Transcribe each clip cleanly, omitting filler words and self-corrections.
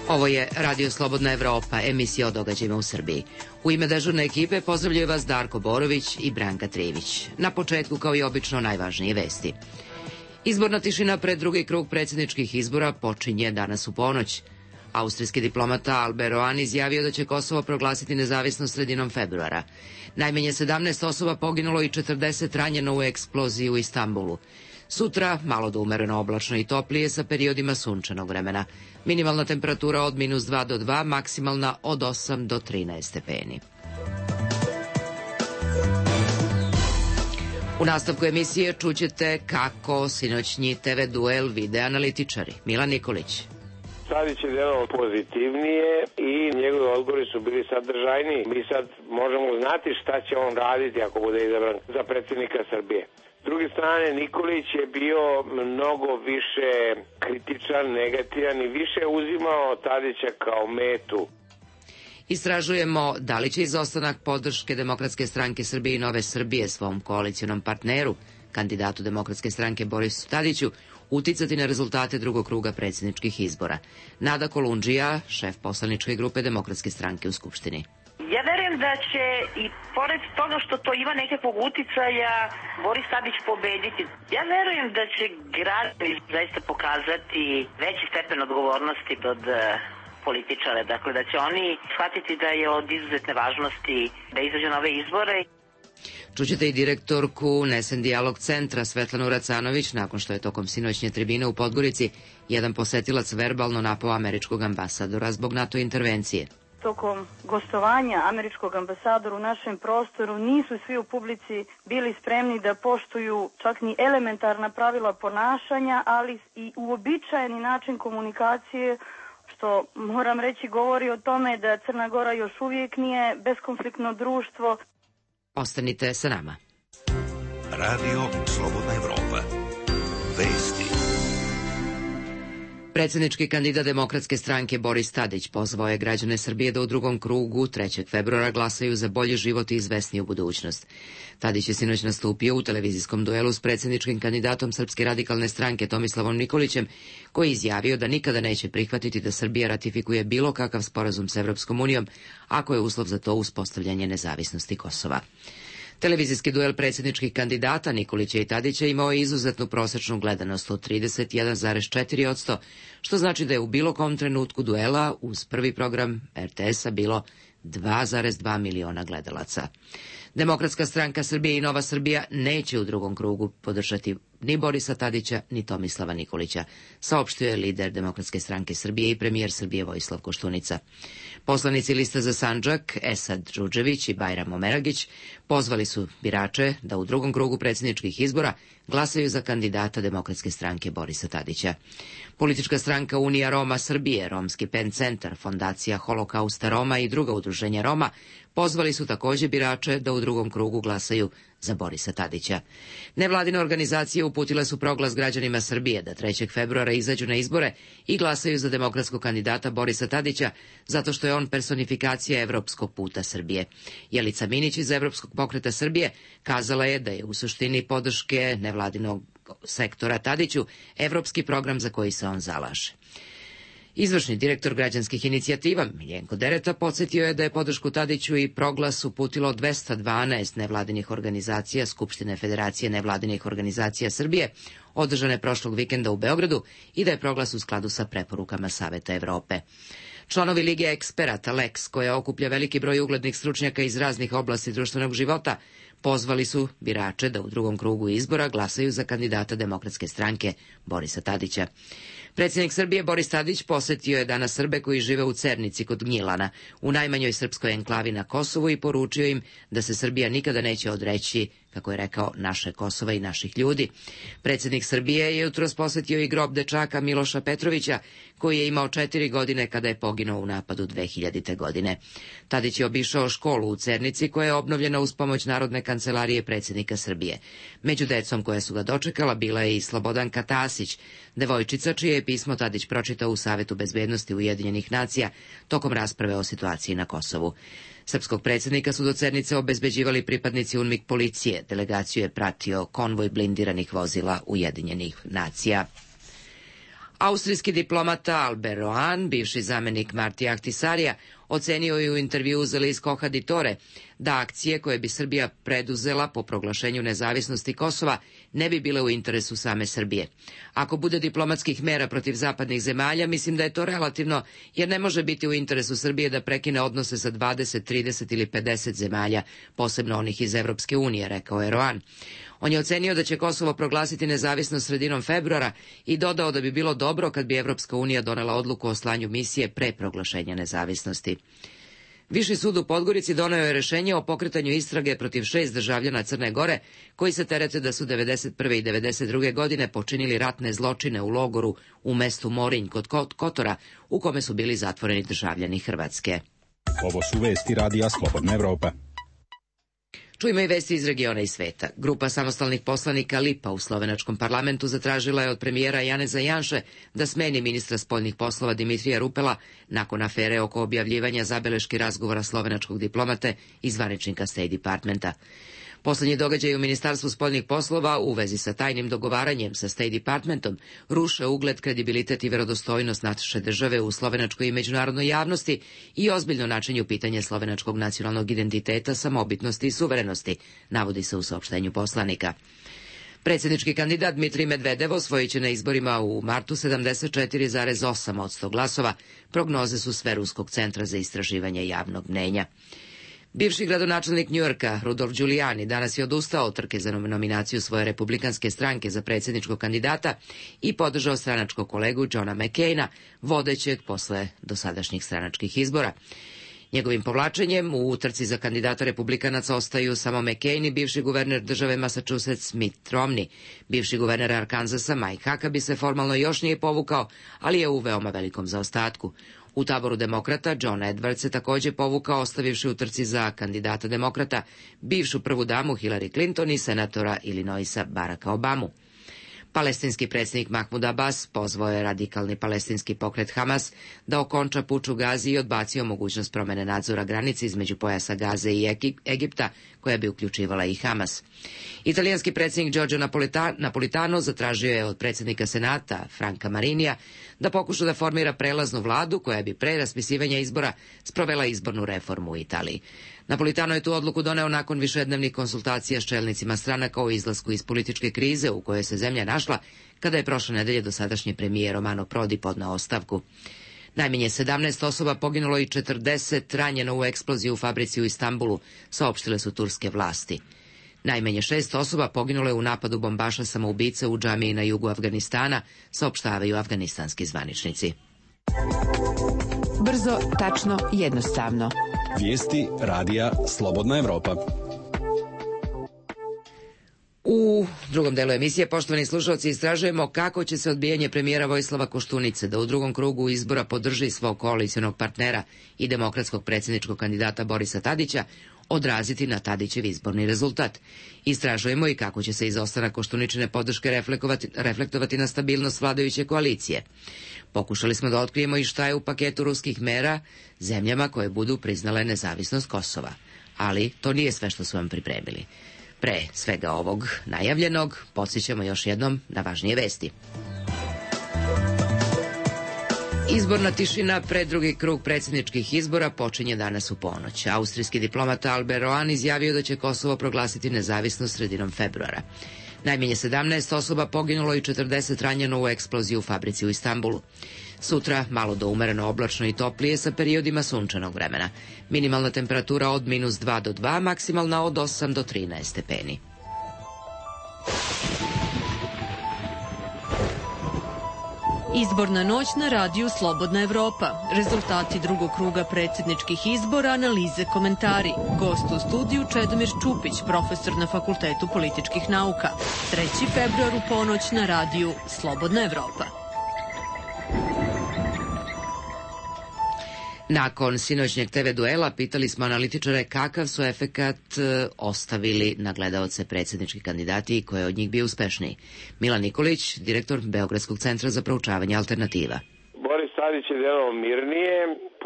Ovo je Radio Slobodna Evropa, emisija o događajima u Srbiji. U ime dežurne ekipe pozdravljaju vas Darko Borović i Branka Trivić. Na početku, kao i obično, najvažnije vesti. Izborna tišina pred drugi krug predsjedničkih izbora počinje danas u ponoć. Austrijski diplomata Albert Roan izjavio da će Kosovo proglasiti nezavisnost sredinom februara. Najmanje 17 osoba poginulo i 40 ranjeno u eksploziji u Istanbulu. Sutra malo do umereno oblačno i toplije sa periodima sunčanog vremena. Minimalna temperatura od -2 do 2, maksimalna od 8 do 13 stepeni. U nastavku emisije čućete kako sinoćnji TV duel vide analitičari. Milan Nikolić. Tadić je delovao pozitivnije i njegovi odgovori su bili sadržajniji. Mi sad možemo znati šta će on raditi ako bude izabran za predsjednika Srbije. S druge strane, Nikolić je bio mnogo više kritičan, negativan i više uzimao Tadića kao metu. Istražujemo da li će izostanak podrške Demokratske stranke Srbije i Nove Srbije svom koalicionom partneru, kandidatu Demokratske stranke Borisu Tadiću, uticati na rezultate drugog kruga predsjedničkih izbora. Nada Kolundžija, šef poslaničke grupe Demokratske stranke u Skupštini. Ja verujem da će i pored toga što to ima nekakvog uticaja Boris Tadić pobediti. Ja verujem da će građani zaista pokazati veći stepen odgovornosti od političara. Dakle, da će oni shvatiti da je od izuzetne važnosti da izađu na ove izbore. Čućete i direktorku Nesen dijalog centra Svetlanu Racanović nakon što je tokom sinoćnje tribine u Podgorici jedan posetilac verbalno napao američkog ambasadora zbog NATO intervencije. Tokom gostovanja američkog ambasadora u našem prostoru nisu svi u publici bili spremni da poštuju čak ni elementarna pravila ponašanja, ali i uobičajeni način komunikacije, što moram reći govori o tome da Crna Gora još uvijek nije beskonfliktno društvo. Ostanite sa nama. Radio Slobodna Evropa. Vesti. Predsjednički kandidat Demokratske stranke Boris Tadić pozvao je građane Srbije da u drugom krugu 3. februara glasaju za bolji život i izvesniju budućnost. Tadić je sinoć nastupio u televizijskom duelu s predsjedničkim kandidatom Srpske radikalne stranke Tomislavom Nikolićem, koji je izjavio da nikada neće prihvatiti da Srbija ratifikuje bilo kakav sporazum s Evropskom unijom, ako je uslov za to uspostavljanje nezavisnosti Kosova. Televizijski duel predsjedničkih kandidata Nikolića i Tadića imao je izuzetnu prosečnu gledanost od 31,4%, što znači da je u bilo kom trenutku duela uz prvi program RTS-a bilo 2,2 miliona gledalaca. Demokratska stranka Srbije i Nova Srbija neće u drugom krugu podržati ni Borisa Tadića, ni Tomislava Nikolića, saopštio je lider Demokratske stranke Srbije i premijer Srbije Vojislav Koštunica. Poslanici Lista za Sandžak, Esad Džudžević i Bajram Omeragić, pozvali su birače da u drugom krugu predsjedničkih izbora glasaju za kandidata Demokratske stranke Borisa Tadića. Politička stranka Unija Roma Srbije, Romski PEN centar, Fondacija Holokausta Roma i druga udruženja Roma pozvali su također birače da u drugom krugu glasaju za Borisa Tadića. Nevladine organizacije uputile su proglas građanima Srbije da 3. februara izađu na izbore i glasaju za demokratskog kandidata Borisa Tadića, zato što je on personifikacija evropskog puta Srbije. Jelica Minić iz Evropskog pokreta Srbije kazala je da je u suštini podrške nevladinog sektora Tadiću evropski program za koji se on zalaže. Izvršni direktor građanskih inicijativa Miljenko Dereta podsjetio je da je podršku Tadiću i proglas uputilo 212 nevladinih organizacija Skupštine Federacije nevladinih organizacija Srbije, održane prošlog vikenda u Beogradu, i da je proglas u skladu sa preporukama Saveta Evrope. Članovi Lige eksperata Lex, koja okuplja veliki broj uglednih stručnjaka iz raznih oblasti društvenog života, pozvali su birače da u drugom krugu izbora glasaju za kandidata Demokratske stranke Borisa Tadića. Predsjednik Srbije Boris Tadić posjetio je danas Srbe koji žive u Cernici kod Gnjilana, u najmanjoj srpskoj enklavi na Kosovu, i poručio im da se Srbija nikada neće odreći, kako je rekao, naše Kosova i naših ljudi. Predsjednik Srbije je jutros posjetio i grob dečaka Miloša Petrovića, koji je imao 4 godine kada je poginuo u napadu 2000. godine. Tadić je obišao školu u Cernici, koja je obnovljena uz pomoć Narodne kancelarije predsjednika Srbije. Među decom koja su ga dočekala bila je i Slobodanka Tasić, devojčica čije je pismo Tadić pročitao u Savetu bezbednosti Ujedinjenih nacija tokom rasprave o situaciji na Kosovu. Srpskog predsjednika su do Cernice obezbeđivali pripadnici UNMIK policije. Delegaciju je pratio konvoj blindiranih vozila Ujedinjenih nacija. Austrijski diplomata Albert Rohan, bivši zamenik Marti Ahtisarija, ocenio je u intervjuu za list Koha di Tore da akcije koje bi Srbija preduzela po proglašenju nezavisnosti Kosova ne bi bile u interesu same Srbije. Ako bude diplomatskih mera protiv zapadnih zemalja, mislim da je to relativno, jer ne može biti u interesu Srbije da prekine odnose sa 20, 30 ili 50 zemalja, posebno onih iz Evropske unije, rekao je Rohan. On je ocenio da će Kosovo proglasiti nezavisnost sredinom februara i dodao da bi bilo dobro kad bi Evropska unija donela odluku o slanju misije pre proglašenja nezavisnosti. Viši sud u Podgorici doneo je rešenje o pokretanju istrage protiv 6 državljana Crne Gore koji se terete da su 1991. i 1992. godine počinili ratne zločine u logoru u mestu Morinj kod Kotora, u kome su bili zatvoreni državljani Hrvatske. Ovo su vesti Radija Slobodna Evropa. Čujemo i vesti iz regiona i sveta. Grupa samostalnih poslanika Lipa u slovenačkom parlamentu zatražila je od premijera Janeza Janše da smeni ministra spoljnih poslova Dimitrija Rupela nakon afere oko objavljivanja zabeleški razgovora slovenačkog diplomate i zvaničnika State Departmenta. Poslednji događaj u Ministarstvu spoljnih poslova u vezi sa tajnim dogovaranjem sa State Departmentom ruše ugled, kredibilitet i verodostojnost naše države u slovenačkoj i međunarodnoj javnosti i ozbiljno načinju pitanje slovenačkog nacionalnog identiteta, samobitnosti i suverenosti, navodi se u saopštenju poslanika. Predsjednički kandidat Dmitrij Medvedev osvojit će na izborima u martu 74,8% glasova, prognoze su sve Ruskog centra za istraživanje javnog mnenja. Bivši gradonačelnik Njujorka, Rudolf Giuliani, danas je odustao od trke za nominaciju svoje republikanske stranke za predsjedničkog kandidata i podržao stranačkog kolegu Johna McCaina, vodećeg posle dosadašnjih stranačkih izbora. Njegovim povlačenjem u utrci za kandidata republikanaca ostaju samo McCain i bivši guverner države Massachusetts Mitt Romney. Bivši guverner Arkansasa Mike Huckabee se formalno još nije povukao, ali je u veoma velikom zaostatku. U taboru demokrata John Edwards se također povukao, ostavivši u trci za kandidata demokrata bivšu prvu damu Hillary Clinton i senatora Illinoisa Baracka Obamu. Palestinski predsjednik Mahmud Abbas pozvao je radikalni palestinski pokret Hamas da okonča puč u Gazi i odbacio mogućnost promene nadzora granice između pojasa Gaze i Egipta, koja bi uključivala i Hamas. Italijanski predsjednik Giorgio Napolitano zatražio je od predsjednika Senata Franka Marinija da pokuša da formira prelaznu vladu koja bi pre raspisivanja izbora sprovela izbornu reformu u Italiji. Napolitano je tu odluku doneo nakon višednevnih konsultacija s čelnicima stranaka o izlasku iz političke krize u kojoj se zemlja našla kada je prošle nedelje dosadašnji premijer Romano Prodi podneo ostavku. Najmanje 17 osoba poginulo i 40 ranjeno u eksploziji u fabrici u Istanbulu, saopštile su turske vlasti. Najmanje 6 osoba poginulo je u napadu bombaša samoubice u džamiji na jugu Afganistana, saopštavaju afganistanski zvaničnici. Brzo, tačno, jednostavno. Vijesti Radija Slobodna Evropa. U drugom delu emisije, poštovani slušalci, istražujemo kako će se odbijanje premijera Vojislava Koštunice da u drugom krugu izbora podrži svog koalicionog partnera i demokratskog predsjedničkog kandidata Borisa Tadića odraziti na Tadićev izborni rezultat. Istražujemo i kako će se izostanak Koštuničine podrške reflektovati na stabilnost vladajuće koalicije. Pokušali smo da otkrijemo i šta je u paketu ruskih mera zemljama koje budu priznale nezavisnost Kosova. Ali to nije sve što su vam pripremili. Pre svega ovog najavljenog, podsjećamo još jednom na važnije vesti. Izborna tišina pred drugi krug predsjedničkih izbora počinje danas u ponoć. Austrijski diplomata Albert Rohan izjavio da će Kosovo proglasiti nezavisnost sredinom februara. Najmanje 17 osoba poginulo i 40 ranjeno u eksploziji u fabrici u Istanbulu. Sutra malo do umereno oblačno i toplije sa periodima sunčanog vremena. Minimalna temperatura od -2 do 2, maksimalna od 8 do 13 stepeni. Izborna noć na radiju Slobodna Evropa. Rezultati drugog kruga predsjedničkih izbora, analize, komentari. Gost u studiju Čedomir Čupić, profesor na Fakultetu političkih nauka. 3. februar u ponoć na radiju Slobodna Evropa. Nakon sinoćnjeg TV duela pitali smo analitičare kakav su efekat ostavili na gledaoce predsjednički kandidati i ko je od njih bio uspešniji. Milan Nikolić, direktor Beogradskog centra za proučavanje alternativa. Boris Tadić je delovao mirnije,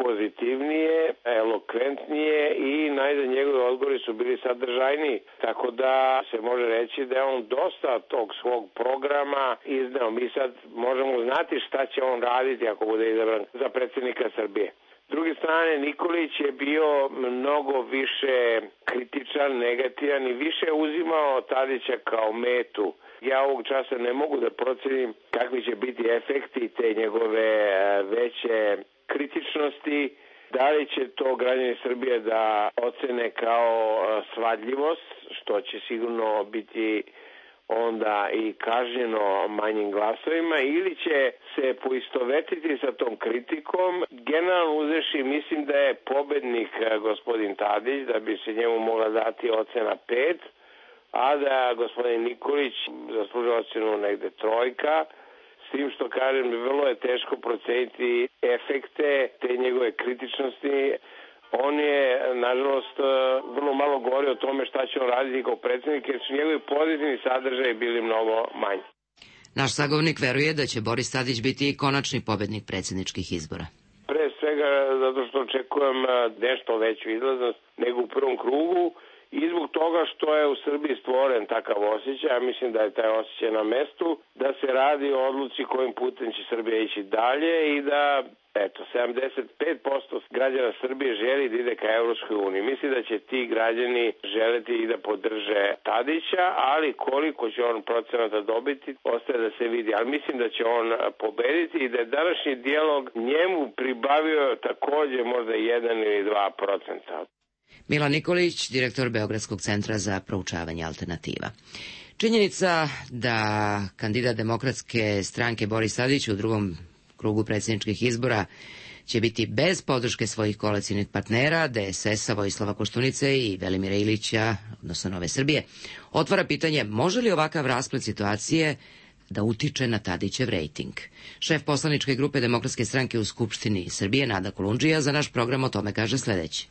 pozitivnije, elokventnije i najzad njegovi odgovori su bili sadržajniji. Tako da se može reći da je on dosta tog svog programa izneo. Mi sad možemo znati šta će on raditi ako bude izabran za predsjednika Srbije. S druge strane, Nikolić je bio mnogo više kritičan, negativan i više uzimao Tadića kao metu. Ja ovog časa ne mogu da procenim kakvi će biti efekti te njegove veće kritičnosti. Da li će to građani Srbije da ocene kao svadljivost, što će sigurno biti onda i kažnjeno manjim glasovima, ili će se poistovetiti sa tom kritikom. Generalno uzevši, mislim da je pobednik gospodin Tadić, da bi se njemu mogla dati ocena 5, a da gospodin Nikolić zaslužuje ocenu negde 3, s tim što kažem, vrlo je teško proceniti efekte te njegove kritičnosti. On je, nažalost, vrlo malo govori o tome šta će on raditi kao predsjednik, jer su njegovi pozitivni sadržaji bili mnogo manji. Naš sagovornik veruje da će Boris Tadić biti konačni pobednik predsjedničkih izbora. Pre svega zato što očekujem nešto veću izlaznost nego u prvom krugu i zbog toga što je u Srbiji stvoren takav osjećaj, ja mislim da je taj osjećaj na mestu, da se radi o odluci kojim putem će Srbija ići dalje i da 75% građana Srbije želi da ide ka Evropskoj uniji. Mislim da će ti građani želeti i da podrže Tadića, ali koliko će on procenata dobiti, ostaje da se vidi. Ali mislim da će on pobediti i da je današnji dijalog njemu pribavio takođe možda 1 ili 2%. Milan Nikolić, direktor Beogradskog centra za proučavanje alternativa. Činjenica da kandidat Demokratske stranke Boris Tadić u drugom krugu predsjedničkih izbora će biti bez podrške svojih koalicijnih partnera, DSS-a, Vojislava Koštunice i Velimira Ilića, odnosno Nove Srbije, otvara pitanje može li ovakav rasplet situacije da utiče na Tadićev rejting. Šef poslaničke grupe Demokratske stranke u Skupštini Srbije, Nada Kolundžija, za naš program o tome kaže sledeće.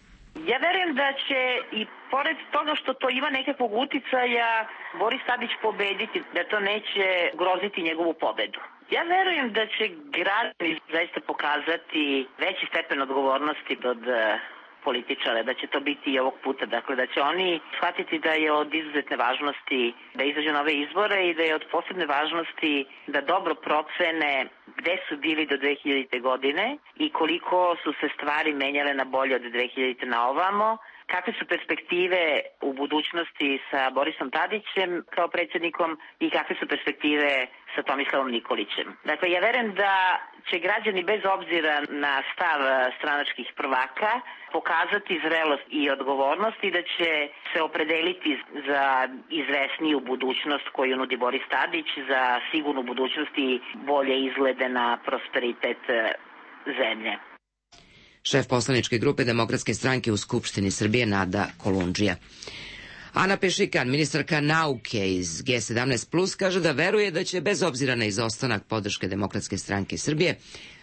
Ja verujem da će i pored toga što to ima nekakvog uticaja Boris Tadić pobediti, da to neće groziti njegovu pobedu. Ja verujem da će građani zaista pokazati veći stepen odgovornosti od političara, da će to biti i ovog puta. Dakle, da će oni shvatiti da je od izuzetne važnosti da izađu na ove izbore i da je od posebne važnosti da dobro procene gde su bili do 2000. godine i koliko su se stvari menjale na bolje od 2000. na ovamo, kakve su perspektive u budućnosti sa Borisom Tadićem kao predsjednikom i kakve su perspektive sa Tomislavom Nikolićem. Dakle, ja verujem da će građani bez obzira na stav stranačkih prvaka pokazati zrelost i odgovornost i da će se opredeliti za izvesniju budućnost koju nudi Boris Tadić, za sigurnu budućnost i bolje izglede na prosperitet zemlje. Šef poslaničke grupe Demokratske stranke u Skupštini Srbije Nada Kolundžija. Ana Pešikan, ministarka nauke iz G17+, kaže da veruje da će, bez obzira na izostanak podrške Demokratske stranke Srbije,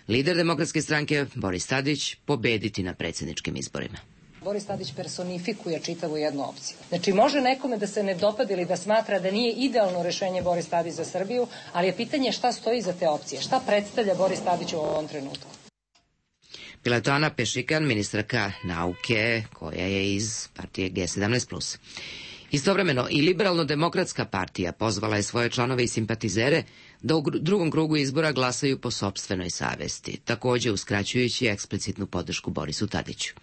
lider Demokratske stranke Boris Tadić pobediti na predsjedničkim izborima. Boris Tadić personifikuje čitavu jednu opciju. Znači, može nekome da se ne dopadi ili da smatra da nije idealno rešenje Boris Tadić za Srbiju, ali je pitanje šta stoji iza te opcije, šta predstavlja Boris Tadić u ovom trenutku. Bila je to Ana Pešikan, ministarka nauke, koja je iz partije G17+. Istovremeno, i Liberalno-demokratska partija pozvala je svoje članove i simpatizere da u drugom krugu izbora glasaju po sopstvenoj savesti, takođe uskraćujući eksplicitnu podršku Borisu Tadiću.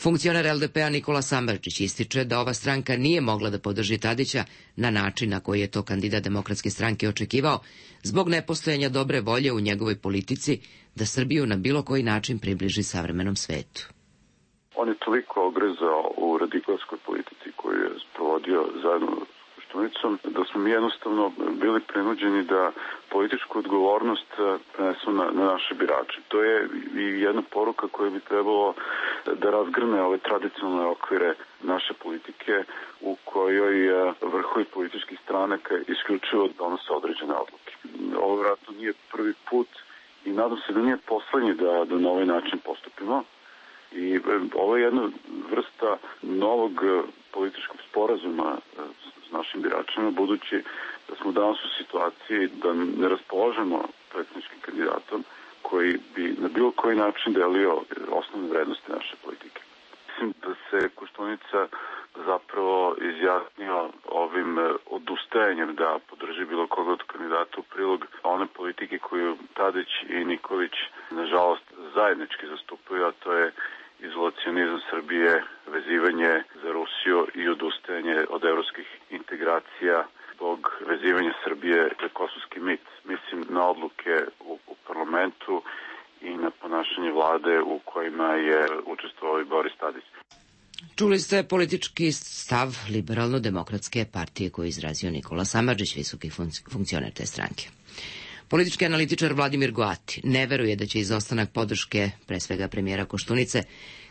Funkcioner LDP-a Nikola Samardžić ističe da ova stranka nije mogla da podrži Tadića na način na koji je to kandidat Demokratske stranke očekivao, zbog nepostojanja dobre volje u njegovoj politici da Srbiju na bilo koji način približi savremenom svetu. On je toliko ogrezao u radikalskoj politici koju je sprovodio zajedno s Koštunicom, da smo mi jednostavno bili prinuđeni da političku odgovornost prenesu na naše birače. To je i jedna poruka koja bi trebalo da razgrne ove tradicionalne okvire naše politike u kojoj vrhovi političkih stranaka isključivo donose određene odluke. Ovo vjerojatno nije prvi put i nadam se da nije poslednji da na ovaj način postupimo. I ovo je jedna vrsta novog političkog sporazuma s našim biračima, budući da smo danas u situaciji da ne raspolažemo predsjedničkim kandidatom, koji bi na bilo koji način delio osnovne vrednosti naše politike. Mislim da se Koštunica zapravo izjasnio ovim odustajanjem da podrži bilo koga od kandidata u prilog one politike koju Tadić i Nikolić nažalost zajednički zastupaju, a to je izolacionizam Srbije, vezivanje za Rusiju i odustajanje od evropskih integracija zbog vezivanja Srbije za kosovski mit. Mislim na odluke u parlamentu i na ponašanje vlade u kojima je učestvovao i Boris Tadić. Čuli ste politički stav Liberalno-demokratske partije koji je izrazio Nikola Samardžić, visoki funkcioner te stranke. Politički analitičar Vladimir Goati ne veruje da će izostanak podrške, pre svega premijera Koštunice,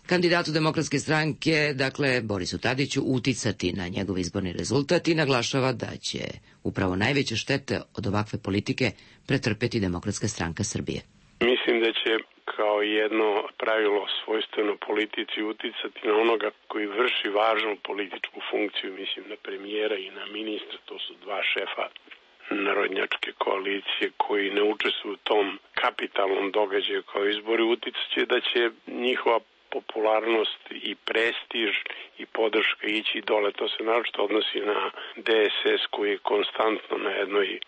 kandidatu Demokratske stranke, dakle Borisu Tadiću, uticati na njegov izborni rezultat i naglašava da će upravo najveće štete od ovakve politike pretrpeti Demokratska stranka Srbije. Mislim da će kao jedno pravilo svojstveno politici uticati na onoga koji vrši važnu političku funkciju, mislim na premijera i na ministra, to su dva šefa narodnjačke koalicije koji ne učestvuju u tom kapitalnom događaju kao izbori, uticaće da će njihova popularnost i prestiž i podrška ići dole. To se naročito odnosi na DSS koji je konstantno na jednoj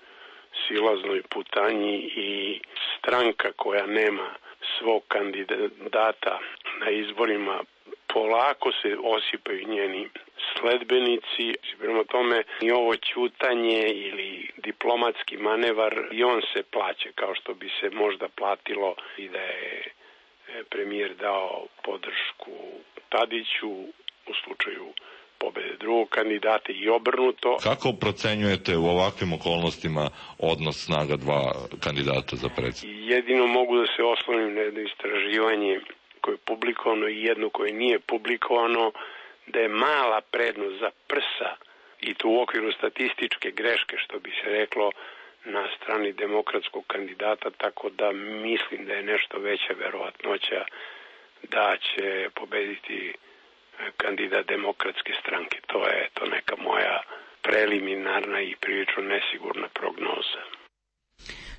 silaznoj putanji i stranka koja nema svog kandidata na izborima, polako se osipaju njeni sledbenici. Prema tome i ovo ćutanje ili diplomatski manevar i on se plaća kao što bi se možda platilo i da je premijer dao podršku Tadiću u slučaju pobede drugog kandidata i obrnuto. Kako procenjujete u ovakvim okolnostima odnos snaga dva kandidata za predsjednika? Jedino mogu da se oslonim na jedno istraživanje koje je publikovano i jedno koje nije publikovano, da je mala prednost za prsa i to u okviru statističke greške, što bi se reklo, na strani demokratskog kandidata, tako da mislim da je nešto veća verovatnoća da će pobediti kandidat Demokratske stranke. To je neka moja preliminarna i prilično nesigurna prognoza.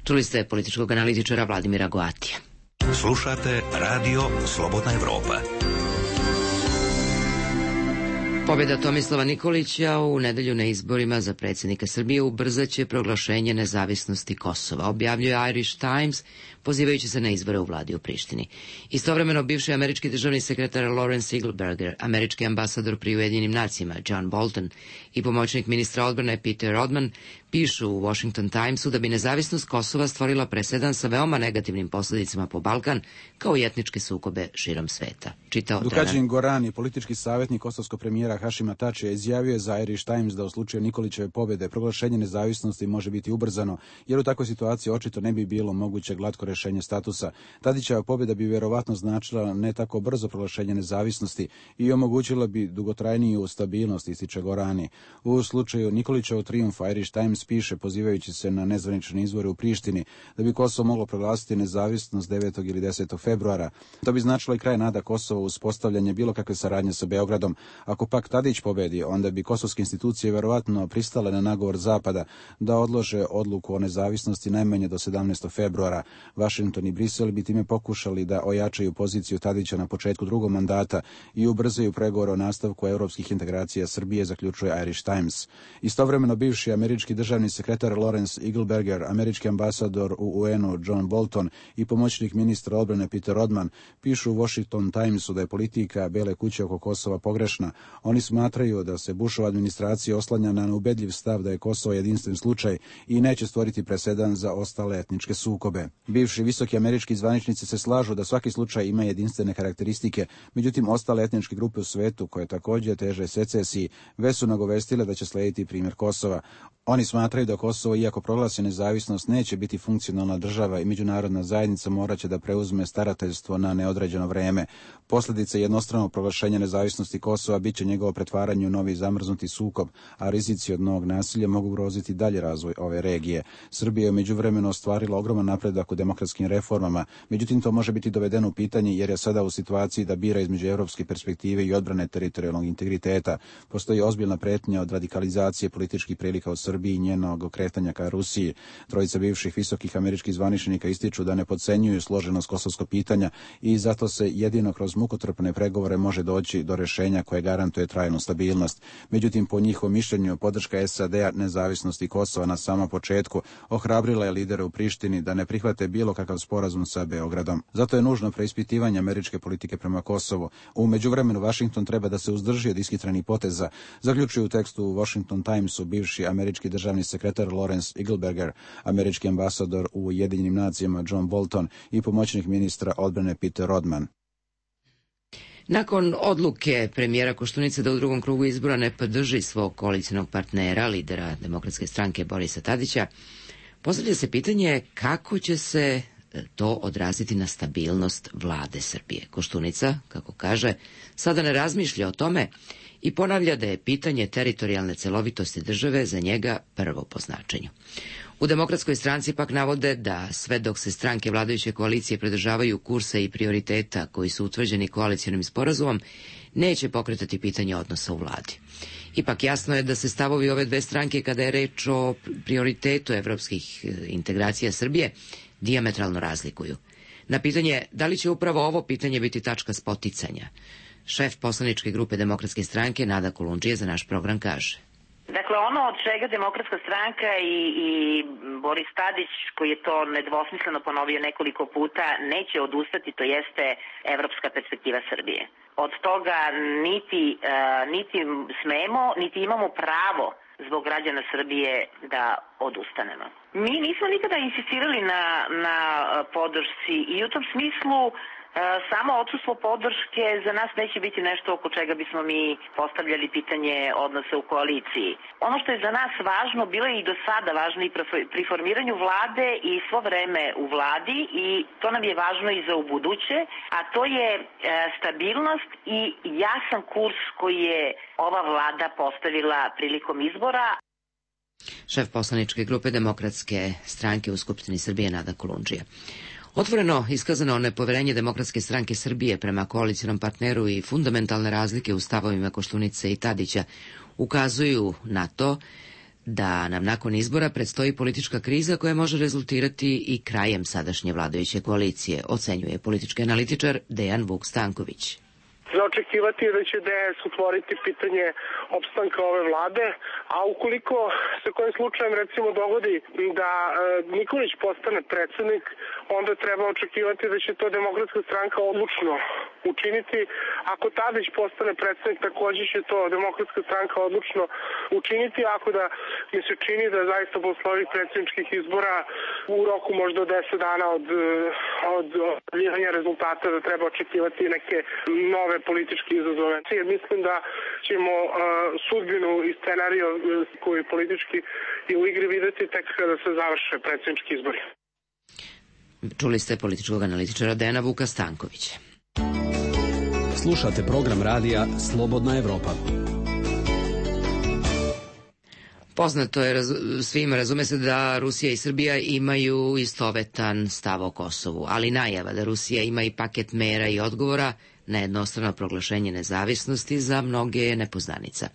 Čuli ste političkog analitičara Vladimira Goatija. Slušate Radio Slobodna Evropa. Pobjeda Tomislava Nikolića u nedelju na izborima za predsjednika Srbije ubrzaće proglašenje nezavisnosti Kosova, objavljuje Irish Times, pozivajući se na izbore u vladi u Prištini. Istovremeno, bivši američki državni sekretar Lawrence Eagleburger, američki ambasador pri Ujedinjenim nacijama John Bolton i pomoćnik ministra odbrane Peter Rodman pišu u Washington Timesu da bi nezavisnost Kosova stvorila presedan sa veoma negativnim posljedicama po Balkan, kao i etničke sukobe širom sveta. Dukađin Gorani, politički savjetnik kosovskog premijera Hašima Tačija, izjavio je za Irish Times da u slučaju Nikolićeve pobjede proglašenje nezavisnosti može biti ubrzano, jer u takvoj situaciji očito ne bi bilo moguće glatko rješenje statusa. Tadićeva pobjeda bi vjerovatno značila ne tako brzo proglašenje nezavisnosti i omogućila bi dugotrajniju stabilnost, ističe Gorani. U slučaju Nikolićevog trijumfa Irish Times piše, pozivajući se na nezvanične izbore u Prištini, da bi Kosovo moglo proglasiti nezavisnost 9. ili 10. februara. To bi značilo i kraj nada Kosova uspostavljanje bilo kakve saradnje sa Beogradom. Ako pak Tadić pobedi, onda bi kosovske institucije vjerovatno pristale na nagovor Zapada da odlože odluku o nezavisnosti najmanje do 17. februara. Washington i Brisel bi time pokušali da ojačaju poziciju Tadića na početku drugog mandata i ubrzaju pregovore o nastavku europskih integracija Srbije, zaključuje Irish Times. Istovremeno, bivši američki državni sekretar Lawrence Eagleburger, američki ambasador u UN-u John Bolton i pomoćnik ministra odbrane Peter Rodman pišu u Washington Timesu da je politika Bele kuće oko Kosova pogrešna. Oni smatraju da se Bushova administracija oslanja na neubedljiv stav da je Kosovo jedinstven slučaj i neće stvoriti presedan za ostale etničke sukobe. Bivši visoki američki zvaničnici se slažu da svaki slučaj ima jedinstvene karakteristike, međutim ostale etničke grupe u svetu, koje također teže secesiji, već su nagovestile da će slijediti primjer Kosova. Oni smatraju da Kosovo, iako proglasi nezavisnost, neće biti funkcionalna država i međunarodna zajednica morat će da preuzme starateljstvo na neodređeno vreme. Posljedica jednostranog proglašenja nezavisnosti Kosova bit će njegovo pretvaranje u novi zamrznuti sukob, a rizici od novog nasilja mogu ugroziti dalje razvoj ove regije. Srbija je u međuvremenu ostvarila ogroman napredak u demokratskim reformama, međutim to može biti dovedeno u pitanje jer je sada u situaciji da bira između evropske perspektive i odbrane teritorijalnog integriteta. Postoji ozbiljna pretnja od radikalizacije političkih prilika u Srbiji i njenog okretanja ka Rusiji. Trojica bivših visokih američkih zvaničnika ističu da ne podcenjuju složenost kosovskog pitanja i zato se jedino kroz mukotrpne pregovore može doći do rešenja koje garantuje trajnu stabilnost. Međutim, po njihovom mišljenju, podrška SAD-a nezavisnosti Kosova na samom početku ohrabrila je lidere u Prištini da ne prihvate bilo kakav sporazum sa Beogradom. Zato je nužno preispitivanje američke politike prema Kosovu. U međuvremenu Washington treba da se uzdrži od ishitrenih poteza, zaključuje u tekstu u Washington Timesu bivši američki državni sekretar Lawrence Eagleberger, američki ambasador u Ujedinjenim nacijama John Bolton i pomoćnik ministra odbrane Peter Rodman. Nakon odluke premijera Koštunice da u drugom krugu izbora ne podrži svog koalicionog partnera, lidera Demokratske stranke Borisa Tadića, postavlja se pitanje kako će se to odraziti na stabilnost vlade Srbije. Koštunica, kako kaže, sada ne razmišlja o tome i ponavlja da je pitanje teritorijalne celovitosti države za njega prvo po značenju. U Demokratskoj stranci pak navode da sve dok se stranke vladajuće koalicije pridržavaju kursa i prioriteta koji su utvrđeni koalicionim sporazumom, neće pokretati pitanje odnosa u vladi. Ipak jasno je da se stavovi ove dve stranke kada je reč o prioritetu evropskih integracija Srbije dijametralno razlikuju. Na pitanje da li će upravo ovo pitanje biti tačka spoticanja, šef poslaničke grupe Demokratske stranke Nada Kolundžija za naš program kaže: Dakle, ono od čega Demokratska stranka i Boris Tadić, koji je to nedvosmisleno ponovio nekoliko puta, neće odustati, to jeste evropska perspektiva Srbije. Od toga niti smemo, niti imamo pravo zbog građana Srbije da odustanemo. Mi nismo nikada insistirali na podršci i u tom smislu samo odsustvo podrške za nas neće biti nešto oko čega bismo mi postavljali pitanje odnosa u koaliciji. Ono što je za nas važno, bilo je i do sada važno i pri formiranju vlade i svo vreme u vladi i to nam je važno i za ubuduće, a to je stabilnost i jasan kurs koji je ova vlada postavila prilikom izbora. Šef poslaničke grupe Demokratske stranke u Skupštini Srbije Nada Kolundžija. Otvoreno iskazano nepoverenje Demokratske stranke Srbije prema koalicionom partneru i fundamentalne razlike u stavovima Koštunice i Tadića ukazuju na to da nam nakon izbora predstoji politička kriza koja može rezultirati i krajem sadašnje vladajuće koalicije, ocenjuje politički analitičar Dejan Vuk Stanković. Za očekivati je da će DS otvoriti pitanje opstanka ove vlade, a ukoliko se kojim slučajem recimo dogodi da Nikolić postane predsednik, onda treba očekivati da će to Demokratska stranka odlučno učiniti. Ako Tadić postane predsednik, takođe će to Demokratska stranka odlučno učiniti, ako da mi se čini da zaista posle ovih predsjedničkih izbora u roku možda od 10 dana od objavljivanja rezultata da treba očekivati neke nove političke izazove. Mislim da ćemo sudbinu i scenariju koji politički je u igri videti tek kada se završe predsjednički izbori. Čuli ste političkog analitičara Dejana Vuka Stankovića. Slušate program radija Slobodna Evropa. Poznato je svima, razume se da Rusija i Srbija imaju istovetan stav o Kosovu, ali najava da Rusija ima i paket mera i odgovora na jednostrano proglašenje nezavisnosti za mnoge je nepoznanica.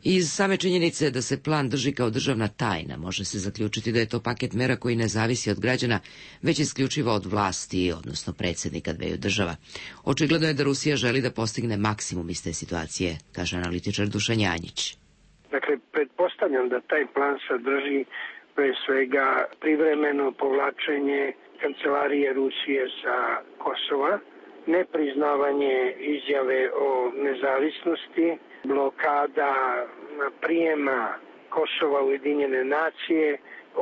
Iz same činjenice da se plan drži kao državna tajna, može se zaključiti da je to paket mera koji ne zavisi od građana, već isključivo od vlasti, odnosno predsjednika dveju država. Očigledno je da Rusija želi da postigne maksimum iz te situacije, kaže analitičar Dušan Janjić. Dakle, pretpostavljam da taj plan sadrži pre svega privremeno povlačenje kancelarije Rusije sa Kosova, nepriznavanje izjave o nezavisnosti, blokada prijema Kosova u Ujedinjene nacije,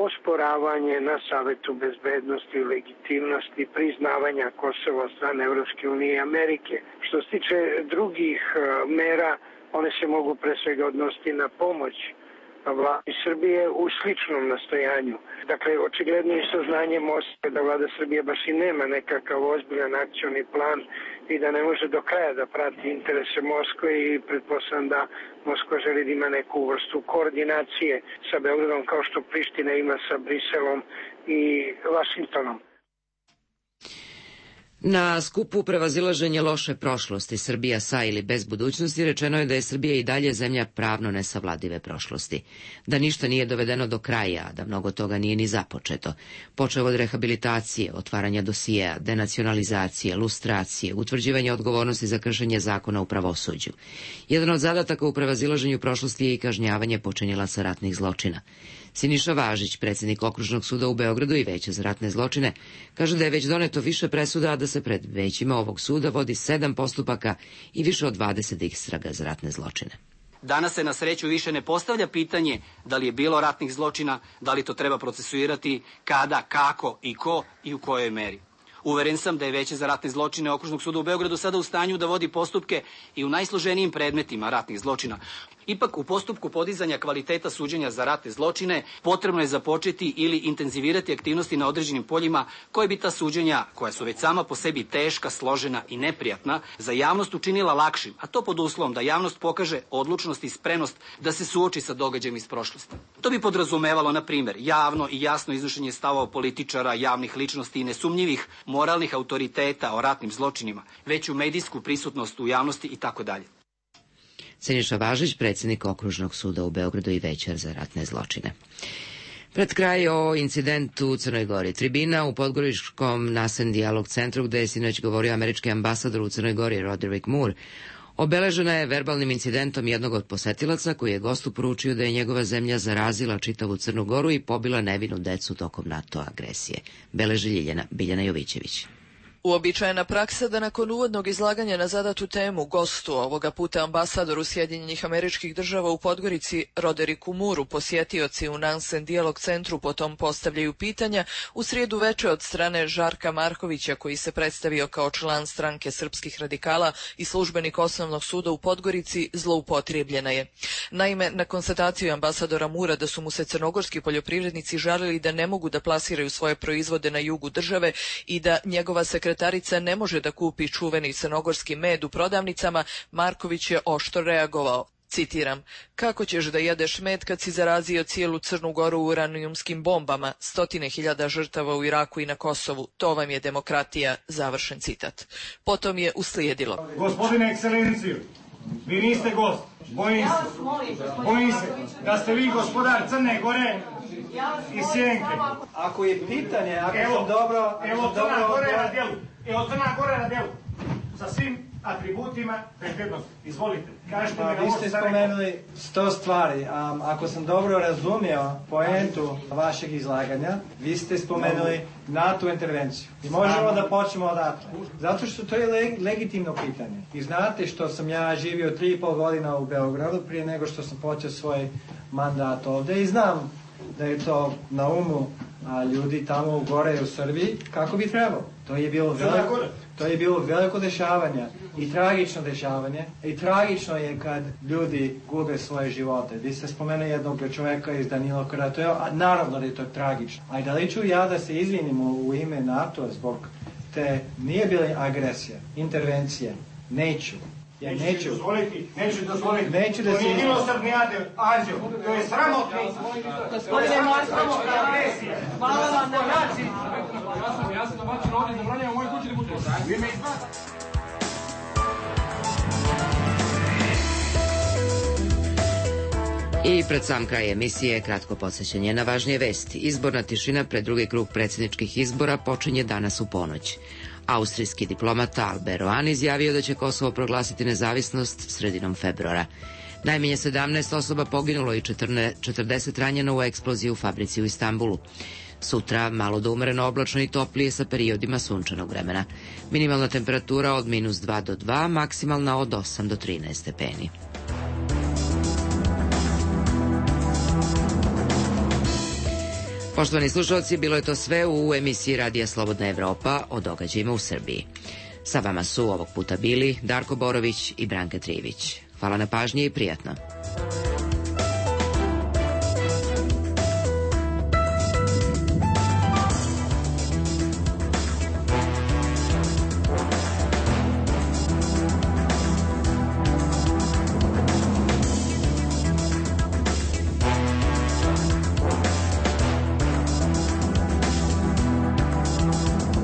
osporavanje na Savetu bezbednosti i legitimnosti priznavanja Kosova od strane Evropske unije i Amerike. Što se tiče drugih mera, one se mogu pre svega odnositi na pomoć vladi Srbije u sličnom nastojanju. Dakle, očigledno i saznanje Moskve da vlada Srbije baš i nema nekakav ozbiljan akcioni plan i da ne može do kraja da prati interese Moskve i pretpostavljam da Moskva želi da ima neku vrstu koordinacije sa Beogradom kao što Priština ima sa Briselom i Vašingtonom. Na skupu prevazilaženje loše prošlosti Srbija sa ili bez budućnosti rečeno je da je Srbija i dalje zemlja pravno nesavladive prošlosti, da ništa nije dovedeno do kraja, da mnogo toga nije ni započeto, počev od rehabilitacije, otvaranja dosijeja, denacionalizacije, lustracije, utvrđivanja odgovornosti za kršenje zakona u pravosuđu. Jedan od zadataka u prevazilaženju prošlosti je i kažnjavanje počinilaca ratnih zločina. Siniša Važić, predsjednik Okružnog suda u Beogradu i Veća za ratne zločine, kaže da je već doneto više presuda, a da se pred većima ovog suda vodi 7 postupaka i više od 20 istraga za ratne zločine. Danas se na sreću više ne postavlja pitanje da li je bilo ratnih zločina, da li to treba procesuirati, kada, kako i ko i u kojoj meri. Uveren sam da je Veće za ratne zločine Okružnog suda u Beogradu sada u stanju da vodi postupke i u najsloženijim predmetima ratnih zločina. Ipak, u postupku podizanja kvaliteta suđenja za ratne zločine potrebno je započeti ili intenzivirati aktivnosti na određenim poljima koje bi ta suđenja, koja su već sama po sebi teška, složena i neprijatna, za javnost učinila lakšim, a to pod uslovom da javnost pokaže odlučnost i spremnost da se suoči sa događajem iz prošlosti. To bi podrazumevalo, na primjer, javno i jasno iznošenje stavova političara, javnih ličnosti i nesumnjivih moralnih autoriteta o ratnim zločinima, veću medijsku prisutnost u javnosti itd. Siniša Važić, predsjednik Okružnog suda u Beogradu i Veća za ratne zločine. Pred kraj o incidentu u Crnoj Gori. Tribina u Podgoričkom Nasen dijalog centru, gde je sinoć govorio američki ambasador u Crnoj Gori Roderick Moore, obeležena je verbalnim incidentom jednog od posetilaca koji je gostu poručio da je njegova zemlja zarazila čitavu Crnu Goru i pobila nevinu decu tokom NATO agresije. Beleži Biljana Jovićević. Uobičajena praksa da nakon uvodnog izlaganja na zadatu temu gostu, ovoga puta ambasadoru Sjedinjenih Američkih Država u Podgorici, Rodericku Mooreu, posjetioci u Nansen dijalog centru potom postavljaju pitanja, u srijedu veče od strane Žarka Markovića, koji se predstavio kao član stranke srpskih radikala i službenik Osnovnog suda u Podgorici, zloupotrijebljena je. Naime, na konstataciju ambasadora Moorea da su mu se crnogorski poljoprivrednici žalili da ne mogu da plasiraju svoje proizvode na jugu države i da njegova sekretarica ne može da kupi čuveni crnogorski med u prodavnicama, Marković je oštro reagovao. Citiram, kako ćeš da jedeš med kad si zarazio cijelu Crnu Goru uranijumskim bombama, 100.000 žrtava u Iraku i na Kosovu, to vam je demokratija, završen citat. Potom je uslijedilo. Gospodine ekscelenciju, vi niste gost, bojim se da ste vi gospodar Crne Gore i Sjenke. Ako je pitanje, ako sam dobro... Evo Crna Gora na djelu, sa svim atributima bezbednosti. Izvolite, kažete mi na ovo. Vi ste spomenuli 100 stvari. Ako sam dobro razumio poentu vašeg izlaganja, vi ste spomenuli NATO intervenciju. I možemo da počnemo odatle. Zato što to je legitimno pitanje. I znate što sam ja živio 3,5 godina u Beogradu prije nego što sam počeo svoj mandat ovde i znam da je to na umu ljudi tamo u gore u Srbiji kako bi trebalo. To je bilo veliko dešavanje i tragično dešavanje i tragično je kad ljudi gube svoje živote. Vi ste spomenuli jednog čoveka iz Danilo Karatoja, a naravno da je to tragično. A da li ću ja da se izvinim u ime NATO zbog te nije bila agresija, intervencije? Neću. Ja neću dozvoliti. To nije milosrdni anđeo, to je sramotni. Gospodine Marković, agresija. Hvala vam na način. Ja sam domaćin ovdje, zabranjam u mojoj kući da bude. Vi me izvati. I pred sam kraj emisije kratko podsjećanje na važnije vesti. Izborna tišina pred drugi krug predsjedničkih izbora počinje danas u ponoć. Austrijski diplomata Albert Rohan izjavio da će Kosovo proglasiti nezavisnost sredinom februara. Najmanje 17 osoba poginulo i 40 ranjeno u eksploziji u fabrici u Istanbulu. Sutra malo do umereno oblačno i toplije sa periodima sunčanog vremena. Minimalna temperatura od -2 do 2, maksimalna od 8 do 13 stepeni. Poštovani slušalci, bilo je to sve u emisiji Radija Slobodna Evropa o događajima u Srbiji. Sa vama su ovog puta bili Darko Borović i Branka Trivić. Hvala na pažnji i prijatno.